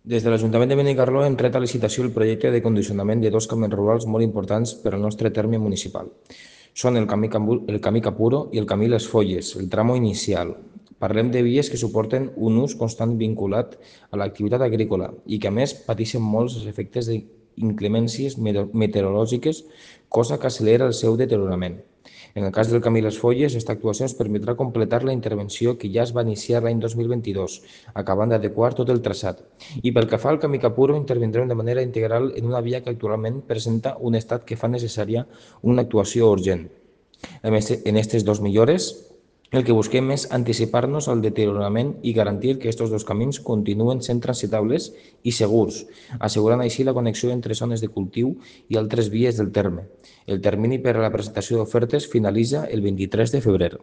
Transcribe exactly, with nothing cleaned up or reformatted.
Des de l'Ajuntament de Benicarló hem tret a licitació el projecte de condicionament de dos camins rurals molt importants per al nostre terme municipal. Són el camí, Cambu- el camí Capuro i el camí Les Folles, el tramo inicial. Parlem de vies que suporten un ús constant vinculat a l'activitat agrícola i que, a més, pateixen molts els efectes d'inclemències meteorològiques, cosa que acelera el seu deteriorament. En el cas del camí Les Folles, aquesta actuació ens permetrà completar la intervenció que ja es va iniciar l'any dos mil vint-i-dos, acabant d'adequar tot el traçat. I pel que fa al camí Capuro, intervindrem de manera integral en una via que actualment presenta un estat que fa necessària una actuació urgent. En aquestes dues millores, el que busquem és anticipar-nos al deteriorament i garantir que aquests dos camins continuen sent transitables i segurs, assegurant així la connexió entre zones de cultiu i altres vies del terme. El termini per a la presentació d'ofertes finalitza el vint-i-tres de febrer.